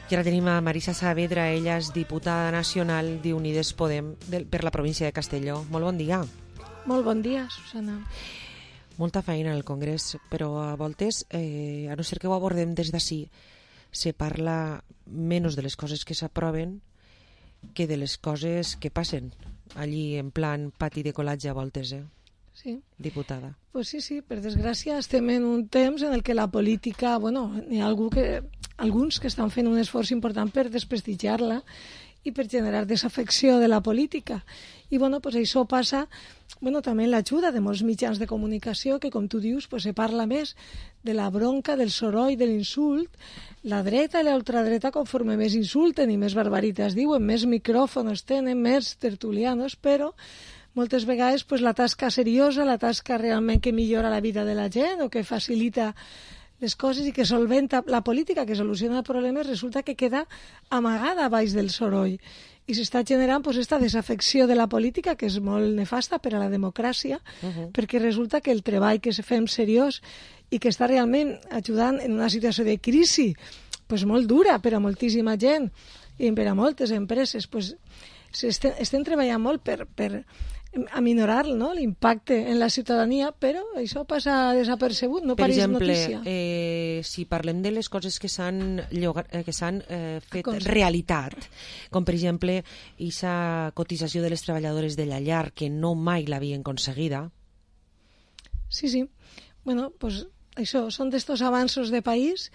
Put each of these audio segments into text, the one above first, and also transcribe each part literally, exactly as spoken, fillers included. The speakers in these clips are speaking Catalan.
I ara tenim a Marisa Saavedra, ella és diputada nacional d'Unides Podem del, per la província de Castelló. Molt bon dia. Molt bon dia, Susana. Molta feina al Congrés, però a voltes, eh, a no ser que ho abordem des d'ací, se parla menys de les coses que s'aproven que de les coses que passen allí en plan pati de colatge a voltes, eh? Sí. Diputada. Pues sí, sí, per desgràcia estem en un temps en el que la política, bueno, n'hi ha algú que, alguns que estan fent un esforç important per desprestigiar-la i per generar desafecció de la política. I bueno, pues això passa bueno, també en l'ajuda de molts mitjans de comunicació que, com tu dius, pues, se parla més de la bronca, del soroll, de l'insult. La dreta i l'ultradreta, conforme més insulten i més barbaritats diuen, més micròfons tenen, més tertulianos, però moltes vegades pues, la tasca seriosa, la tasca realment que millora la vida de la gent o que facilita les coses i que solventa la política, que soluciona problemes, resulta que queda amagada baix del soroll. I s'està generant pues, esta desafecció de la política, que és molt nefasta per a la democràcia, uh -huh. perquè resulta que el treball que fem seriós i que està realment ajudant en una situació de crisi pues, molt dura per a moltíssima gent i per a moltes empreses, pues, estem, estem treballant molt per, per aminorar, no?, l'impacte en la ciutadania, però això passa desapercebut, no pareix notícia. Per exemple, eh, si parlem de les coses que s'han que s'han eh, fet realitat, com per exemple aquesta cotització de les treballadores de la llar, que no mai l'havien aconseguida. Sí, sí. Bueno, pues això, són d'estos avanços de país.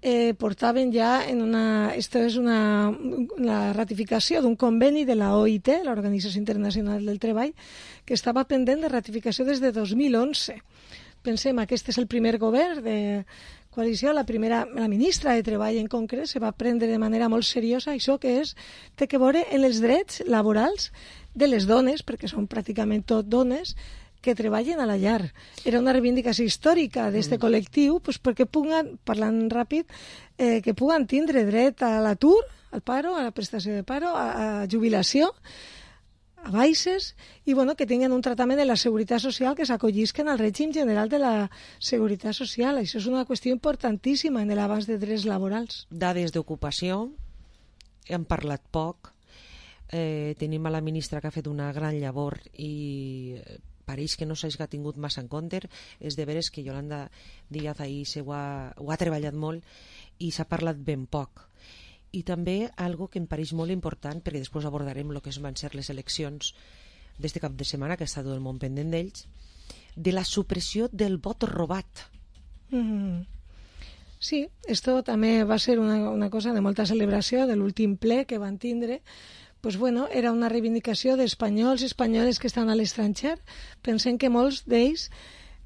Eh, portaven ja en una... Esto és una, una ratificació d'un conveni de la O I T, l'Organització Internacional del Treball, que estava pendent de ratificació des de dos mil onze. Pensem, aquest és el primer govern de coalició, la primera, la ministra de Treball en concret, se va prendre de manera molt seriosa això que és, té que veure en els drets laborals de les dones, perquè són pràcticament tot dones, que treballen a la llar. Era una reivindicació històrica d'aquest mm. col·lectiu pues, perquè puguen, parlant ràpid, eh, que puguen tindre dret a l'atur, al paro, a la prestació de paro, a, a jubilació, a baixes, i bueno, que tinguin un tractament de la seguretat social que s'acollisquen al règim general de la seguretat social. Això és una qüestió importantíssima en l'abans de drets laborals. Dades d'ocupació, hem parlat poc, eh, tenim a la ministra que ha fet una gran llavor i pareix que no s'ha tingut massa en compte. És de veres que Yolanda Díaz ahir se ho, ha, ho ha treballat molt i s'ha parlat ben poc. I també algo que em pareix molt important, perquè després abordarem el que van ser les eleccions d'este cap de setmana, que ha estat tot el món pendent d'ells, de la supressió del vot robat. Mm-hmm. Sí, esto també va ser una, una cosa de molta celebració de l'últim ple que van tindre. Pues bueno, era una reivindicació d'espanyols i espanyoles que estan a l'estranger. Pensem que molts d'ells,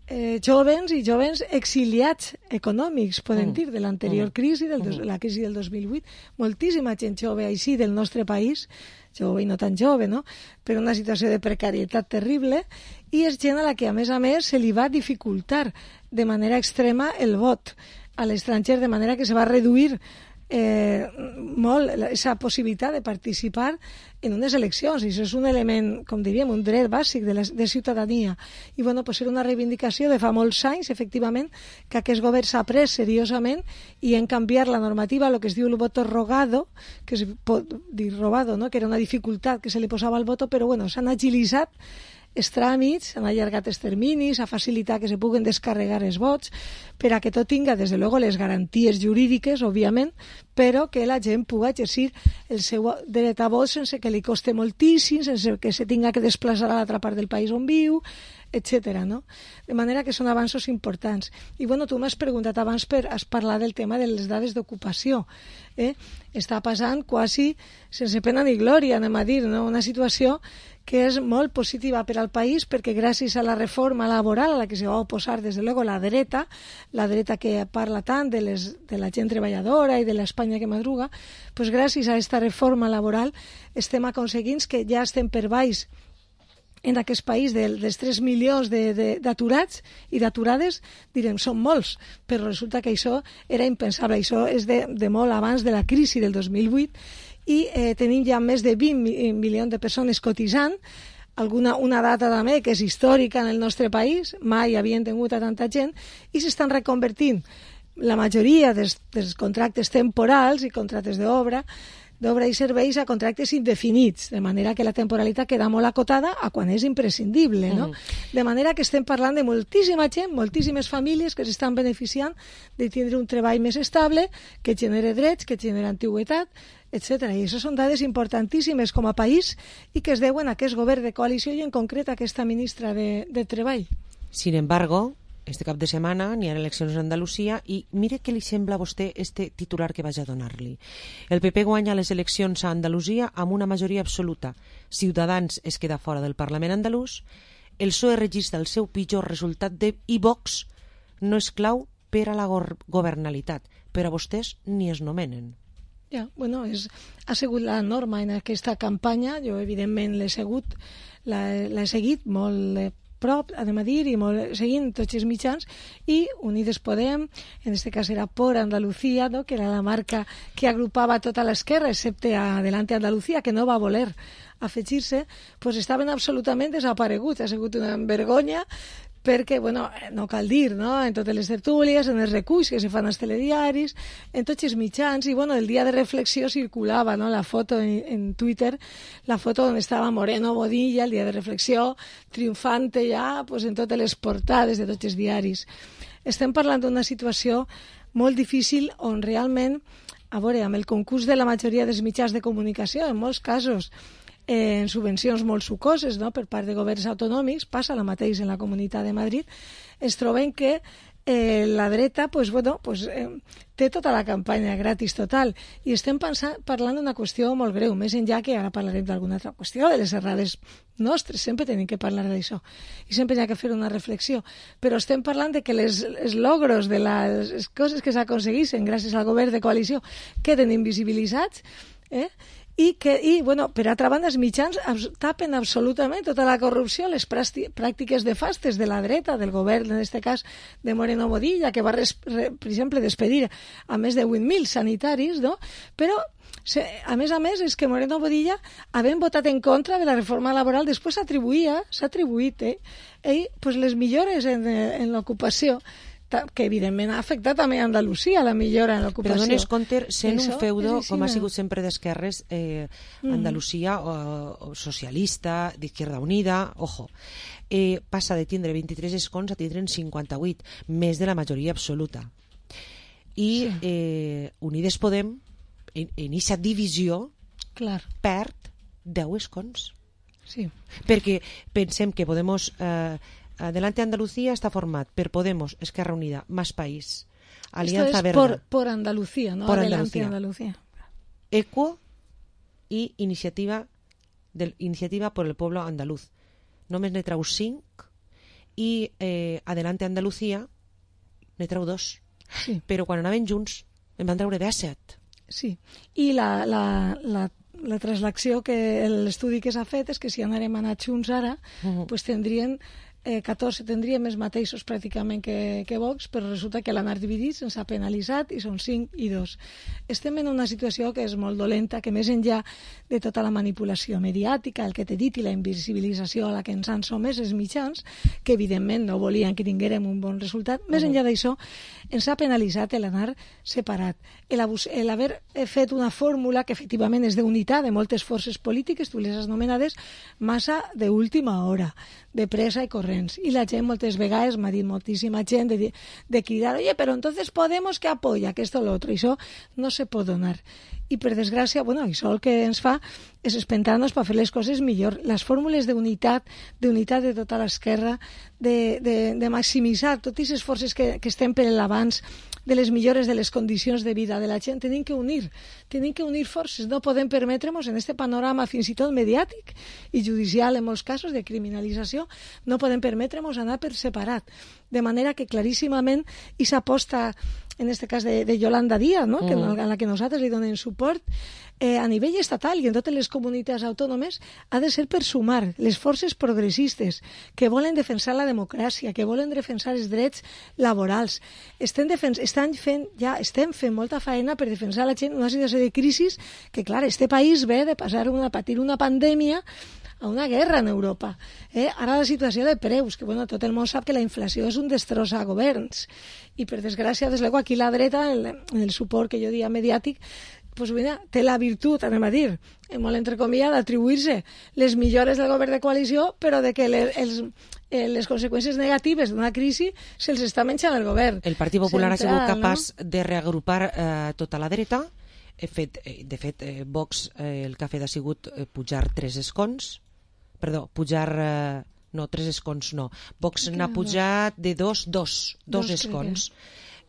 eh, jovens i jovens exiliats econòmics, podem mm. dir, de l'anterior mm. crisi, del dos, la crisi del dos mil vuit, moltíssima gent jove així del nostre país, jove i no tan jove, no?, però una situació de precarietat terrible, i és gent a la que, a més a més, se li va dificultar de manera extrema el vot a l'estranger, de manera que se va reduir Eh, molt aquesta possibilitat de participar en unes eleccions, i això és un element, com diríem, un dret bàsic de, la, de ciutadania. I bueno, pues era una reivindicació de fa molts anys, efectivament, que aquest govern s'ha pres seriosament i en canviar la normativa, el que es diu el voto rogado, que es pot dir robado, no?, que era una dificultat que se li posava al voto, però bueno, s'han agilitzat els tràmits, han allargat els terminis, ha facilitat que se puguen descarregar els vots, per a que tot tinga, des de luego, les garanties jurídiques, òbviament, però que la gent pugui exercir el seu dret a vot sense que li costi moltíssim, sense que se tinga que desplaçar a l'altra part del país on viu, etcètera, no? De manera que són avanços importants. I bueno, tu m'has preguntat abans per has parlat del tema de les dades d'ocupació. Eh? Està passant quasi sense pena ni glòria, anem a dir, no? Una situació que és molt positiva per al país, perquè gràcies a la reforma laboral a la que se va oposar, des de luego, la dreta, la dreta que parla tant de, les, de la gent treballadora i de l'Espanya que madruga, pues gràcies a aquesta reforma laboral estem aconseguint que ja estem per baix en aquest país de, dels tres milions d'aturats i d'aturades, direm, són molts, però resulta que això era impensable. Això és de, de molt abans de la crisi del dos mil vuit, i eh, tenim ja més de vint milions de persones cotitzant, alguna, una data també que és històrica en el nostre país, mai havien tingut a tanta gent, i s'estan reconvertint la majoria dels, dels contractes temporals i contractes d'obra d'obra i serveis a contractes indefinits, de manera que la temporalitat queda molt acotada a quan és imprescindible, no? Mm. De manera que estem parlant de moltíssima gent, moltíssimes famílies que s'estan beneficiant de tindre un treball més estable, que genere drets, que genera antiguitat, etcètera. I això són dades importantíssimes com a país i que es deuen a aquest govern de coalició i en concret a aquesta ministra de, de Treball. Sin embargo, este cap de setmana n'hi ha eleccions a Andalusia i mire què li sembla a vostè este titular que vaig a donar-li. El P P guanya les eleccions a Andalusia amb una majoria absoluta. Ciutadans es queda fora del Parlament andalús. El P S O E registra el seu pitjor resultat de i Vox no és clau per a la governalitat, però vostès ni es nomenen. Ja, bueno, és, ha sigut la norma en aquesta campanya. Jo, evidentment, l'he seguit, l'he seguit molt de prop, anem a dir, i molt, seguint tots els mitjans, i Unides Podem, en aquest cas era Por Andalucía, no? Que era la marca que agrupava tota l'esquerra, excepte Adelante Andalucía, que no va voler afegir-se, pues estaven absolutament desapareguts. Ha sigut una vergonya, perquè, bueno, no cal dir, no?, en totes les tertúlies, en els reculls que se fan als telediaris, en tots els mitjans, i, bueno, el dia de reflexió circulava, no?, la foto en, en Twitter, la foto on estava Moreno Bodilla, el dia de reflexió, triomfante ja, pues, en totes les portades de tots els diaris. Estem parlant d'una situació molt difícil on realment, a veure, amb el concurs de la majoria dels mitjans de comunicació, en molts casos, en subvencions molt sucoses, no?, per part de governs autonòmics, passa la mateix en la Comunitat de Madrid, es troben que eh, la dreta pues, bueno, pues, eh, té tota la campanya gratis total, i estem pensant, parlant d'una qüestió molt greu, més enllà que ara parlarem d'alguna altra qüestió, de les errades nostres, sempre tenim que parlar d'això, i sempre hi ha que fer una reflexió, però estem parlant de que les, els logros de les coses que s'aconseguissin gràcies al govern de coalició queden invisibilitzats, eh? I, que, i bueno, per altra banda, els mitjans tapen absolutament tota la corrupció, les pràctiques nefastes de la dreta, del govern, en aquest cas de Moreno Bodilla, que va, res, re, per exemple, despedir a més de vuit mil sanitaris, no? Però, se, a més a més, és que Moreno Bodilla, havent votat en contra de la reforma laboral, després s'atribuïa, s'ha atribuït, eh, ell, pues, les millores en, en l'ocupació, que evidentment ha afectat també a Andalusia la millora en l'ocupació. Però dones compte, sent un feudo, com ha no? sigut sempre d'esquerres, eh, Andalusia o, o socialista, d'Izquierda Unida, ojo, eh, passa de tindre vint-i-tres escons a tindre cinquanta-vuit, més de la majoria absoluta. I sí. eh, Unides Podem, en, en aquesta divisió, clar, perd deu escons. Sí. Perquè pensem que Podemos... Eh, Adelante Andalucía está format per Podemos, Esquerra Unida, Más País, Alianza Verde. Por, por Andalucía, no por Adelante Andalucía. Andalucía. Equo y Iniciativa, del, Iniciativa por el Pueblo Andaluz. Només ne trau cinc i eh, Adelante Andalucía ne trau dos. Sí. Però quan anaven junts en van treure disset. Sí, i la, la, la, la translacció, que l'estudi que s'ha fet és que si anàrem anat junts ara, uh-huh. pues tindrien... Eh, catorze tindríem els mateixos pràcticament que, que Vox, però resulta que l'anar dividit ens ha penalitzat i són cinc i dos. Estem en una situació que és molt dolenta, que més enllà de tota la manipulació mediàtica, el que t'he dit, i la invisibilització a la que ens han somès els mitjans, que evidentment no volien que tinguérem un bon resultat, més enllà d'això ens ha penalitzat l'anar separat, l'haver fet una fórmula que efectivament és d'unitat de moltes forces polítiques, tu les has nomenades, massa d'última hora, de pressa i corrents. I la gent moltes vegades m'ha dit moltíssima gent de, de cridar, oye, però entonces Podemos que apoya que esto o lo otro. I això no se pot donar. I per desgràcia, bueno, això el que ens fa és espentar-nos per fer les coses millor. Les fórmules d'unitat, d'unitat de tota l'esquerra, de, de, de maximitzar totes les forces que, que estem per l'abans, de les millores de les condicions de vida de la gent, tenim que unir, tenim que unir forces. No podem permetre'ns en aquest panorama fins i tot mediàtic i judicial en molts casos de criminalització, no podem permetre'ns anar per separat. De manera que claríssimament i s'aposta en aquest cas de, de Yolanda Díaz, no? que, a la que nosaltres li donem suport, eh, a nivell estatal i en totes les comunitats autònomes, ha de ser per sumar les forces progressistes que volen defensar la democràcia, que volen defensar els drets laborals. Estem, defens estan fent, ja estem fent molta feina per defensar la gent en una situació de crisi que, clar, este país ve de passar una, patir una pandèmia a una guerra en Europa. Eh? Ara la situació de preus, que bueno, tot el món sap que la inflació és un destrossa a governs, i per desgràcia, des luego, aquí la dreta, en el, el suport que jo dia mediàtic, pues mira, té la virtut, anem a dir, molt entrecomillada, d'atribuir-se les millores del govern de coalició, però de que les, els, les conseqüències negatives d'una crisi se'ls està menjant el govern. El Partit Popular Central, ha sigut capaç no? de reagrupar eh, tota la dreta. He fet, de fet, eh, Vox eh, el que ha fet ha sigut eh, pujar tres escons, perdó, pujar, eh, no, tres escons no, Vox n'ha pujat de dos, dos, dos, dos escons,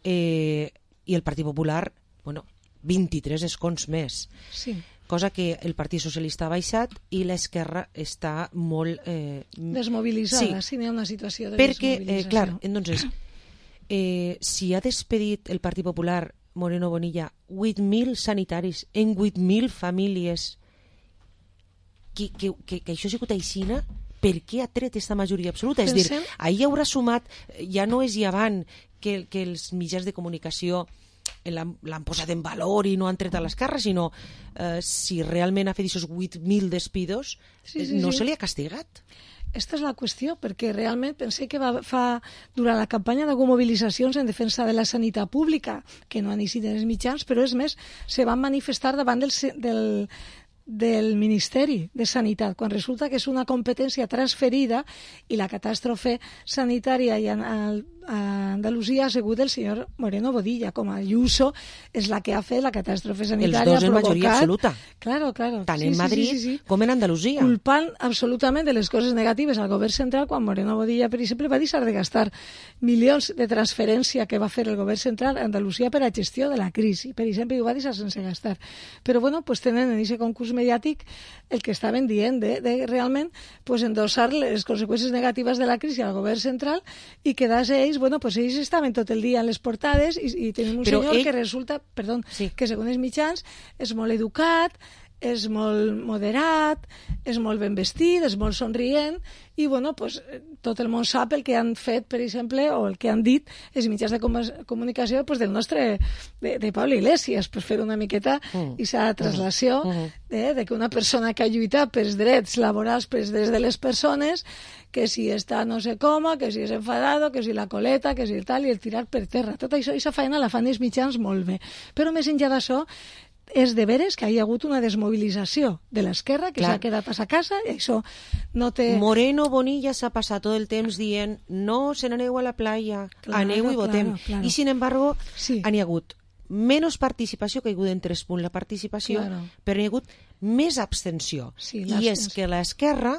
eh, i el Partit Popular, bueno, vint-i-tres escons més. Sí. Cosa que el Partit Socialista ha baixat i l'esquerra està molt... Eh, desmobilitzada, sí, n'hi ha una situació de perquè, desmobilització. Eh, clar, entonces, eh, si ha despedit el Partit Popular Moreno Bonilla vuit mil sanitaris en vuit mil famílies, que, que, que, que això ha sigut aixina, per què ha tret aquesta majoria absoluta? Pensem... És dir, ahir haurà sumat, ja no és llevant que, que els mitjans de comunicació l'han posat en valor i no han tret a l'esquerra, sinó eh, si realment ha fet aquests vuit mil despidos, sí, sí, no sí. se li ha castigat. Aquesta és la qüestió, perquè realment pensé que va, fa, durant la campanya d'algunes mobilitzacions en defensa de la sanitat pública, que no han eixit en els mitjans, però és més, se van manifestar davant del, del, del Ministeri de Sanitat, quan resulta que és una competència transferida i la catàstrofe sanitària i a, a Andalusia ha sigut el senyor Moreno Bonilla, com a Ayuso és la que ha fet la catàstrofe sanitària. Els dos en majoria absoluta. Claro, claro. Tant sí, en sí, Madrid sí, sí, sí. com en Andalusia. Culpant absolutament de les coses negatives al govern central, quan Moreno Bonilla, per exemple, va deixar de gastar milions de transferència que va fer el govern central a Andalusia per a gestió de la crisi. Per exemple, ho va deixar sense gastar. Però bueno, pues tenen en aquest concurs mediàtic el que estaven dient de, de realment pues, endossar les conseqüències negatives de la crisi al govern central i quedar-se ells, bueno, pues ells estaven tot el dia en les portades i, i tenim un Però senyor ell... que resulta, perdó, sí. que segons els mitjans és molt educat, és molt moderat, és molt ben vestit, és molt somrient i bueno, pues, tot el món sap el que han fet, per exemple, o el que han dit els mitjans de comunicació pues, del nostre, de, de Pablo Iglesias, per fer una miqueta mm. i sa traslació mm. de, de que una persona que ha lluitat pels drets laborals, pels drets de les persones, que si està no sé com, que si és enfadado, que si la coleta, que si el tal, i el tirar per terra. Tot això, aquesta feina la fan els mitjans molt bé. Però més enllà d'això, és de veres que hi ha hagut una desmobilització de l'esquerra que s'ha quedat a sa casa i això no té... Moreno Bonilla s'ha passat tot el temps dient no se n'aneu a la playa, claro, aneu i votem. Claro, claro. I sin embargo, sí. han hi hagut menys participació, que hi ha hagut en tres punts la participació, claro. però hi ha hagut més abstenció. Sí, I és que l'esquerra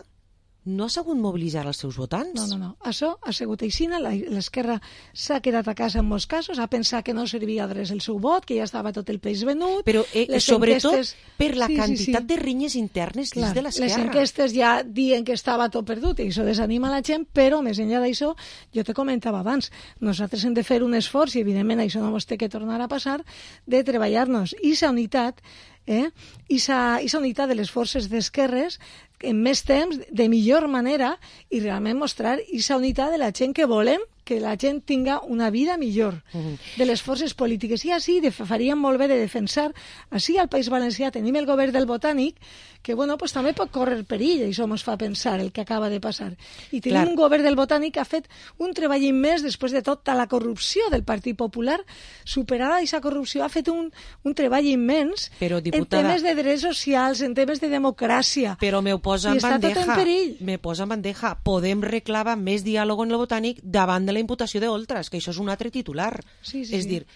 no ha sabut mobilitzar els seus votants. No, no, no. Això ha sigut aixina. L'esquerra s'ha quedat a casa en molts casos, ha pensat que no servia de res el seu vot, que ja estava tot el peix venut. Però eh, sobretot enquestes... per la sí, quantitat sí, sí. de rinyes internes dins de l'esquerra. Les enquestes ja diuen que estava tot perdut i això desanima la gent, però més enllà d'això, jo te comentava abans, nosaltres hem de fer un esforç, i evidentment això no ens té que tornar a passar, de treballar-nos. I sa unitat, eh? I sa, i sa unitat de les forces d'esquerres en més temps, de millor manera, i realment mostrar aquesta unitat de la gent que volem que la gent tinga una vida millor, uh-huh. de les forces polítiques. I així faríem molt bé de defensar, així al País Valencià tenim el govern del Botànic, que bueno, pues, també pot córrer perill, i això ens fa pensar el que acaba de passar. I tenim Clar. un govern del Botànic que ha fet un treball immens després de tota la corrupció del Partit Popular, superada aquesta corrupció, ha fet un, un treball immens però, diputada, en temes de drets socials, en temes de democràcia. Però me ho posa en bandeja. Me posa en bandeja. Podem reclamar més diàleg en el Botànic davant de la imputació d'Oltras, que això és un altre titular. Sí, sí, és dir,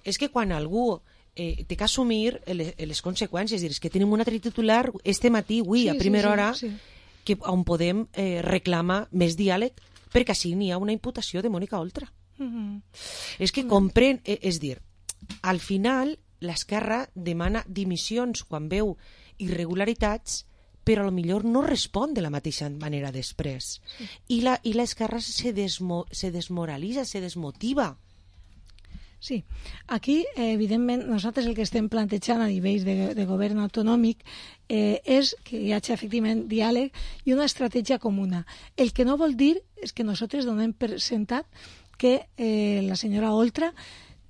és que quan algú eh, té que assumir les, les conseqüències, és dir, és que tenim un altre titular este matí, avui, sí, a primera sí, hora, sí, sí. que on podem eh, reclamar més diàleg, perquè així n'hi ha una imputació de Mònica Oltra. Mm-hmm. És que comprèn, eh, és dir, al final l'esquerra demana dimissions quan veu irregularitats, però potser no respon de la mateixa manera després. Sí. I la, i l'esquerra se, desmo, se desmoralitza, se desmotiva. Sí, aquí, eh, evidentment, nosaltres el que estem plantejant a nivell de, de govern autonòmic eh, és que hi hagi efectivament diàleg i una estratègia comuna. El que no vol dir és que nosaltres donem per sentat que eh, la senyora Oltra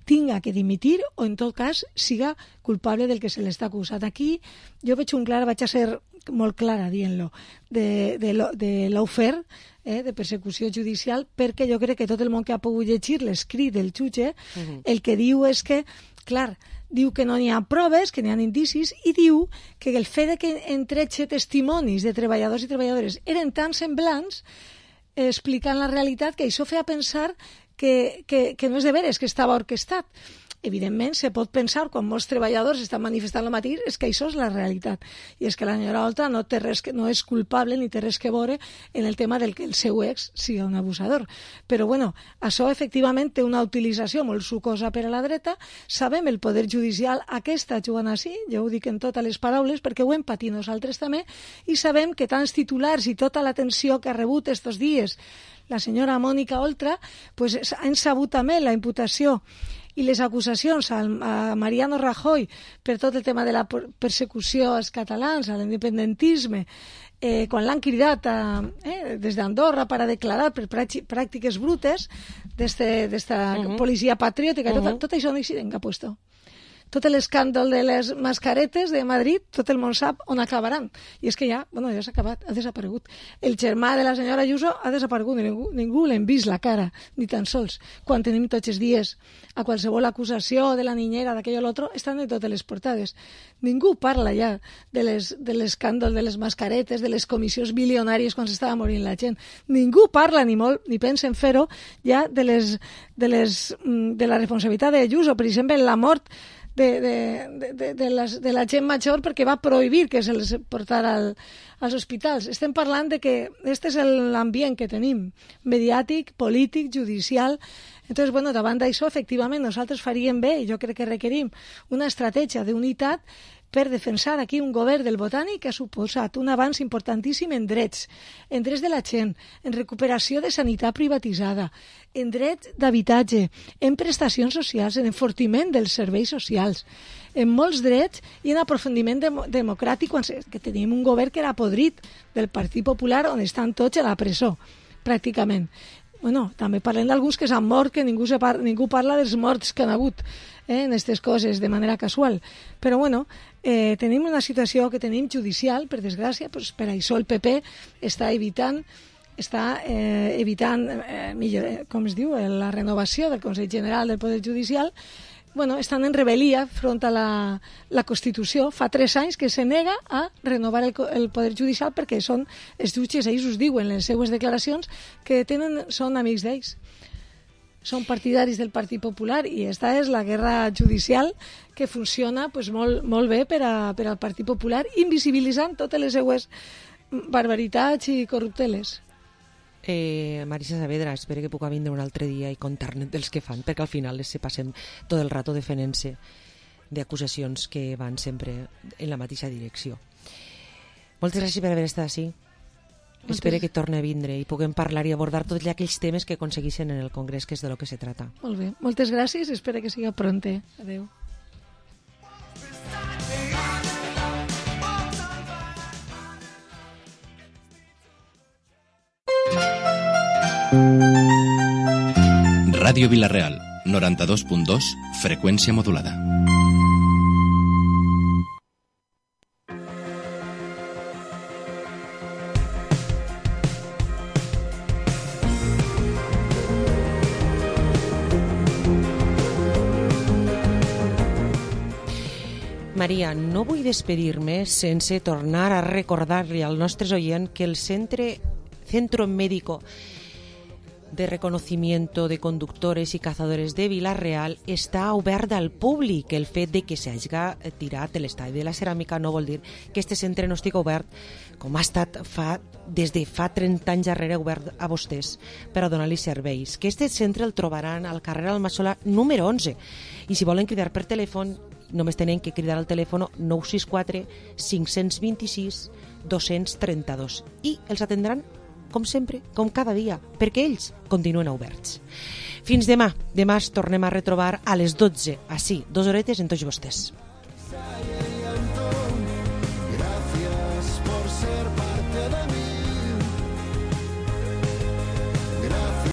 tinga que dimitir o en tot cas siga culpable del que se l'està acusat. Aquí jo veig un clar, vaig a ser molt clara dient-lo, de, de, de l'ofer, eh, de persecució judicial, perquè jo crec que tot el món que ha pogut llegir l'escrit del jutge, uh-huh. el que diu és que, clar, diu que no n'hi ha proves, que n'hi ha indicis, i diu que el fet de que entretxe testimonis de treballadors i treballadores eren tan semblants, eh, explicant la realitat, que això feia pensar que, que, que no és de veres, que estava orquestat. Evidentment, se pot pensar, quan molts treballadors estan manifestant el mateix, és que això és la realitat. I és que la senyora Oltra no, té res que, no és culpable ni té res que veure en el tema del que el seu ex sigui un abusador. Però, bueno, això efectivament té una utilització molt sucosa per a la dreta. Sabem el poder judicial aquesta jugant així, jo ho dic en totes les paraules, perquè ho hem patit nosaltres també, i sabem que tants titulars i tota l'atenció que ha rebut estos dies la senyora Mònica Oltra, pues, han sabut també la imputació i les acusacions a Mariano Rajoy per tot el tema de la persecució als catalans, a l'independentisme, eh, quan l'han cridat a, eh, des d'Andorra per a declarar per pràctiques brutes d'esta uh-huh. policia patriòtica, uh-huh. tot, tot això no hi ha puesto. Tot l'escàndol de les mascaretes de Madrid, tot el món sap on acabaran. I és que ja, bueno, ja s'ha acabat, ha desaparegut. El germà de la senyora Ayuso ha desaparegut, ningú, ningú l'hem vist la cara, ni tan sols. Quan tenim tots els dies a qualsevol acusació de la niñera, d'aquell o l'altre, estan de totes les portades. Ningú parla ja de, les, de l'escàndol de les mascaretes, de les comissions bilionàries quan s'estava morint la gent. Ningú parla ni molt, ni pensa en fer-ho, ja de, les, de, les, de la responsabilitat d'Ayuso, per exemple, la mort De, de, de, de, les, de la gent major perquè va prohibir que se'ls portara al, als hospitals. Estem parlant de que aquest és l'ambient que tenim, mediàtic, polític, judicial. Entonces, bueno, davant d'això, efectivament, nosaltres faríem bé, i jo crec que requerim una estratègia d'unitat per defensar aquí un govern del Botànic que ha suposat un avanç importantíssim en drets, en drets de la gent, en recuperació de sanitat privatitzada, en drets d'habitatge, en prestacions socials, en enfortiment dels serveis socials, en molts drets i en aprofundiment dem- democràtic, quan se- que tenim un govern que era podrit del Partit Popular, on estan tots a la presó, pràcticament. Bueno, també parlem d'alguns que s'han mort, que ningú, se par- ningú parla dels morts que han hagut eh, en aquestes coses de manera casual. Però, bueno, eh, tenim una situació que tenim judicial, per desgràcia, pues, per això el P P està evitant està eh, evitant eh, millor, eh, com es diu, la renovació del Consell General del Poder Judicial. Bueno, estan en rebel·lia front a la, la Constitució. Fa tres anys que se nega a renovar el, el Poder Judicial perquè són els jutges, ells us diuen en les seues declaracions que tenen, són amics d'ells. Són partidaris del Partit Popular i esta és la guerra judicial que funciona pues, molt, molt bé per, a, per al Partit Popular, invisibilitzant totes les seues barbaritats i corrupteles. Eh, Marisa Saavedra, espero que puc vindre un altre dia i contar-ne dels que fan, perquè al final se passem tot el rato defenent-se d'acusacions que van sempre en la mateixa direcció. Moltes gràcies per haver estat així. Moltes... Espero que torni a vindre i puguem parlar i abordar tots aquells temes que aconseguissin en el Congrés, que és de lo que se trata. Molt bé, moltes gràcies, espero que siga pronte. Adéu. Ràdio Vila-real, noranta-dos punt dos, freqüència modulada. Maria, no vull despedir-me sense tornar a recordar-li al nostre oient que el centre, Centro Médico de Reconocimiento de Conductores y Cazadores de Vila-real està obert al públic. El fet de que s'hagi tirat l'estadi de la ceràmica no vol dir que este centre no estigui obert, com ha estat fa, des de fa trenta anys darrere obert a vostès per a donar-li serveis. Que este centre el trobaran al carrer Almasola número onze. I si volen cridar per telèfon, només tenen que cridar al telèfon nou sis quatre cinc dos sis dos tres dos i els atendran com sempre, com cada dia, perquè ells continuen oberts. Fins demà. Demà es tornem a retrobar a les dotze, així, dues horetes en tots vostès.